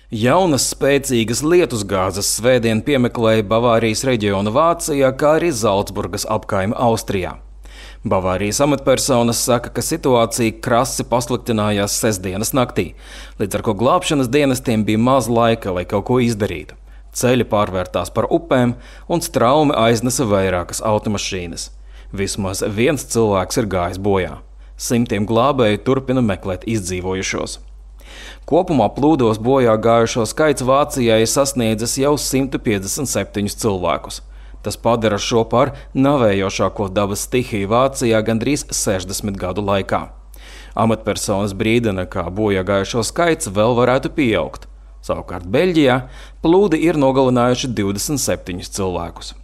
Jaunas spēcīgas lietusgāzes svētdien piemeklēja Bavārijas reģionu Vācijā, kā arī Zalcburgas apkaimi Austrijā. Bavārijas amatpersonas saka, ka situācija krasi pasliktinājās sestdienas naktī, līdz ar ko glābšanas dienestiem bija maz laika, lai kaut ko izdarītu. Ceļi pārvērtās par upēm un straumi aiznesa vairākas automašīnas. Vismaz viens cilvēks ir gājis bojā. Simtiem glābēju turpina meklēt izdzīvojušos. Kopumā plūdos bojā gājušo skaits Vācijā ir sasniedzis jau 157 cilvēkus. Tas padara šo par navējošāko dabas stihiju Vācijā gandrīz 60 gadu laikā. Amatpersonas brīdina, ka bojā gājušo skaits vēl varētu pieaugt. Savukārt Beļģijā plūdi ir nogalinājuši 27 cilvēkus.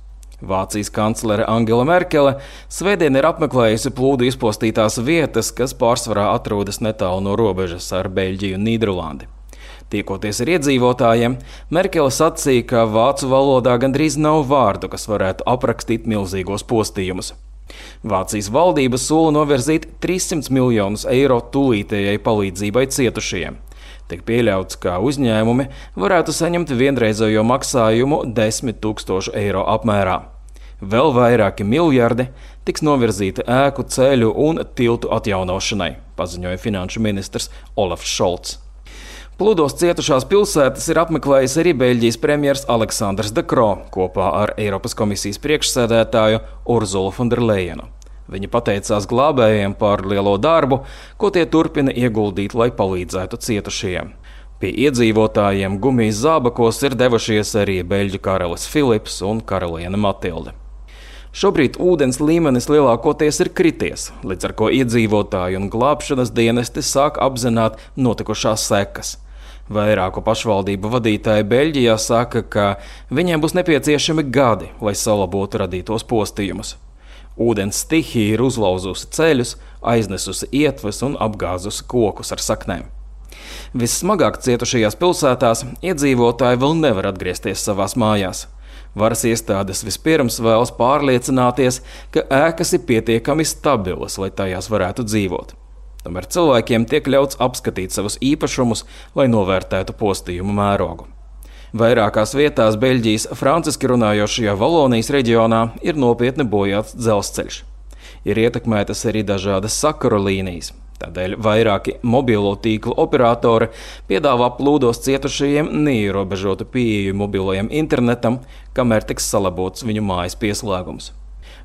Vācijas kanclere Angela Merkele svētdien ir apmeklējusi plūdu izpostītās vietas, kas pārsvarā atrodas netālu no robežas ar Beļģiju un Nīderlandi. Tiekoties ar iedzīvotājiem, Merkele sacīja, ka vācu valodā gandrīz nav vārdu, kas varētu aprakstīt milzīgos postījumus. Vācijas valdība sola novirzīt 300 miljonus eiro tūlītējai palīdzībai cietušajiem. Tiek pieļauts, ka uzņēmumi varētu saņemt vienreizējo maksājumu 10 000 eiro apmērā. Vēl vairāki miljardi tiks novirzīti ēku, ceļu un tiltu atjaunošanai, paziņoja finanšu ministrs Olafs Šolts. Plūdos cietušās pilsētas ir apmeklējis arī Beļģijas premjers Aleksandrs De Croo kopā ar Eiropas komisijas priekšsēdētāju Urzulu von der Leyenu. Viņi pateicās glābējiem par lielo darbu, ko tie turpina ieguldīt, lai palīdzētu cietušajiem. Pie iedzīvotājiem gumijas zābakos ir devušies arī beļģu karalis Filips un karaliene Matilde. Šobrīd ūdens līmenis lielākoties ir krities, līdz ar ko iedzīvotāji un glābšanas dienesti sāk apzināt notikušās sekas. Vairāku pašvaldību vadītāji Beļģijā saka, ka viņiem būs nepieciešami gadi, lai salabotu radītos postījumus. Ūdens stihija ir uzlauzusi ceļus, aiznesusi ietves un apgāzusi kokus ar saknēm. Vissmagāk cietušajās pilsētās iedzīvotāji vēl nevar atgriezties savās mājās. Varas iestādes vispirms vēlas pārliecināties, ka ēkas ir pietiekami stabilas, lai tajās varētu dzīvot. Tomēr cilvēkiem tiek ļauts apskatīt savus īpašumus, lai novērtētu postījumu mērogu. Vairākās vietās Beļģijas franciski runājošajā Valonijas reģionā ir nopietni bojāts dzelzceļš. Ir ietekmētas arī dažādas sakaru līnijas. Tādēļ vairāki mobilo tīklu operatori piedāvā plūdos cietušajiem neierobežotu pieeju mobilajam internetam, kamēr tiks salabots viņu mājas pieslēgums.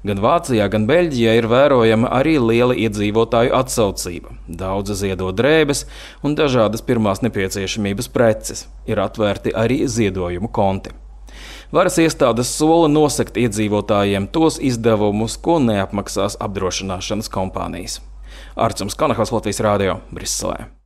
Gan Vācijā, gan Beļģijā ir vērojama arī liela iedzīvotāju atsaucība. Daudzi ziedo drēbes un dažādas pirmās nepieciešamības preces. Ir atvērti arī ziedojumu konti. Varas iestādes sola nosegt iedzīvotājiem tos izdevumus, ko neapmaksās apdrošināšanas kompānijas. Arcums Kanahals, Latvijas Rādio, Briselē.